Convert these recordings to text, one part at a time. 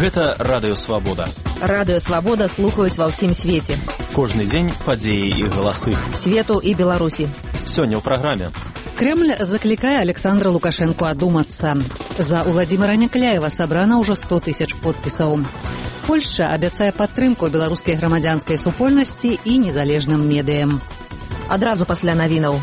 Гэта Радыё Свабода. Радыё Свабода слухаюць ва ўсім свеце. Кожны дзень падзеі і галасы. Свету і Беларусі. Сёння ў праграме. Кремль закликае Александра Лукашенко одуматься. За Владимира Некляева собрано уже 100 тысяч подписаў. Польша абяцае падтрымку беларускай грамадзянскай супольнасці і незалежным медыям. Адразу пасля навінаў.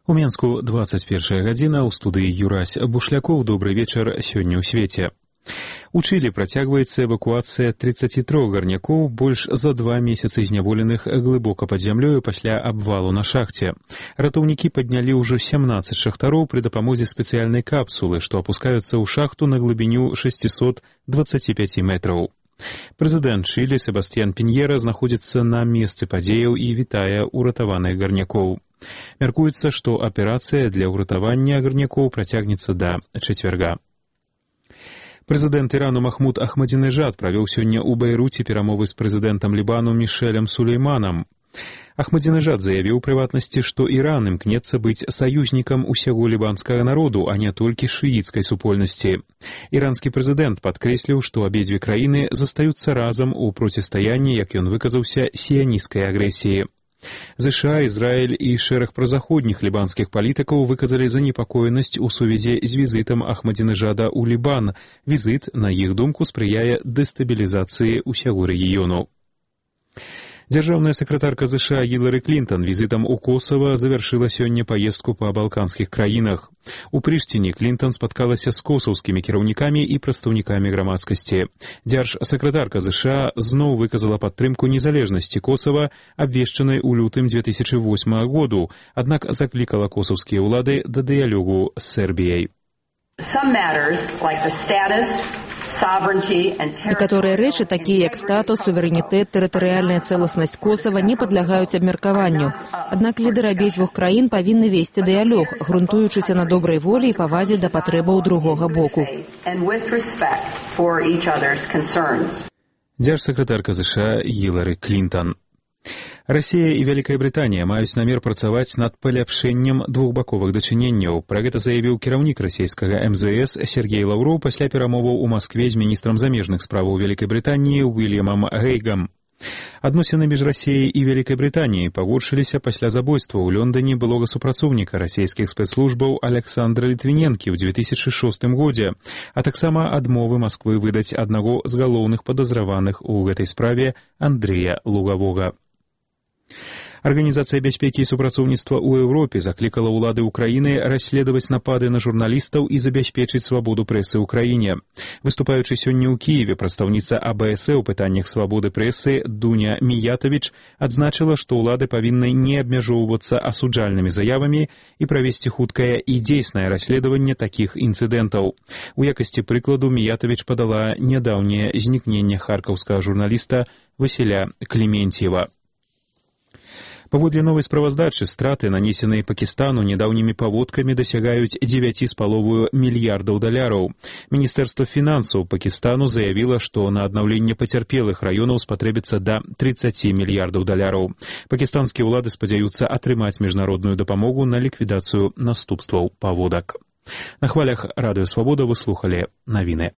У Менску 21 гадзіна, у студыі Юрась Бушлякоў. Добрый вечар сёння ў свеце. У Чылі працягваецца эвакуацыя 33 гарнякоў, больш за 2 месяцы зняволеных глыбока пад зямлёю пасля абвалу на шахце. Ратоўнікі паднялі ўжо 17 шахтароў пры дапамозе спецыяльнай капсулы, што апускаюцца ў шахту на глыбіню 625 метраў. Прэзідэнт Чылі Себастьян Піньера знаходзіцца на месцы падзеяў і вітае ўратаваных гарнякоў. Мяркуецца, што аперацыя для ўратавання гарнякоў працягнецца да чацвярга. Прэзідэнт Ірану Махмуд Ахмадзінежад правёў сёння ў Бейруце перамовы з прэзідэнтам Лібану Мішэлем Сулейманам. Ахмадзінежад заявіў у прыватнасці, што Іран імкнецца быць саюзнікам усяго лібанскага народу, а не толькі шыіцкай супольнасці. Іранскі прэзідэнт падкрэсліў, што абедзве краіны застаюцца разам у процістаянні, як ён выказаўся, сіянісцкай агрэсіі. ЗША, Ізраіль і шэраг празаходніх лібанскіх палітыкаў выказалі занепакоенасць у сувязі з візітам Ахмадзінежада ў Лібан. Візіт, на іх думку, спрыяе дэстабілізацыі ўсяго рэгіёну. Дзяржаўная сакратарка ЗША Гілары Клінтон візітам у Косава завяршыла сёння паездку па балканскіх краінах. У Прыштіне Клінтон спаткалася з косаўскімі кіраўнікамі і прадстаўнікамі грамадскасці. Дзяржсакратарка ЗША зноў выказала падтрымку незалежнасці Косава, абвешчанай у лютым 2008 году, аднак заклікала косаўскія ўлады да дыялогу з Сербіяй. Некаторыя рэчы, такія як статус, суверэнітэт, тэрытарыяльная цэласнасць Косава, не падлягаюць абмеркаванню. Аднак лідары абедзвюх краін павінны весці дыялог, грунтуючыся на добрай волі і павазе да патрэбаў другога боку. Дзяржсакратарка ЗША Гілары Клінтон. Расія і Вялікая Брытанія маюць намер працаваць над паляпшэннем двухбаковых дачыненняў. Пра гэта заявіў кіраўнік расійскага МЗС Сергей Лаўроў пасля перамоваў у Маскве з міністрам замежных справаў Вялікай Брытаніі Уільямам Гейгам. Адносіны між Расіяй і Вялікай Брытаніяй пагоршыліся пасля забойства ў Лондоне былога супрацоўніка расійскіх спецслужбаў Александра Літвіненкі ў 2006 годзе, а таксама адмовы Масквы выдаць аднаго з галоўных падазраваных у гэтай справе Андрэя Лугавога. Арганізацыя бяспекі і супрацоўніцтва ў Еўропе заклікала ўлады ўкраіны расследаваць напады на журналістаў і забяспечыць свабоду прэсы ў краіне. Выступаючы сёння ў Кіеве, прадстаўніца АБС у пытаннях свабоды прэсы Дуня Міятавіч адзначыла, што ўлады павінны не абмяжоўвацца асуджальнымі заявамі і правесці хуткае і дзейснае расследаванне такіх інцыдэнтаў. У якасці прыкладу Міятавіч падала нядаўняе знікненне харкаўскага журналіста Васіля Клементьева. Паводле новай справаздачы, страты, нанесеныя Пакістану нядаўнімі паводкамі, дасягаюць 9,5 мільярдаў даляраў. Міністэрства фінансаў Пакістану заявіла, што на аднаўленне пацярпелых раёнаў спатрэбіцца да 30 мільярдаў даляраў. Пакістанскія ўлады спадзяюцца атрымаць міжнародную дапамогу на ліквідацыю наступстваў паводак. На хвалях Радыё Свабода вы слухалі навіны.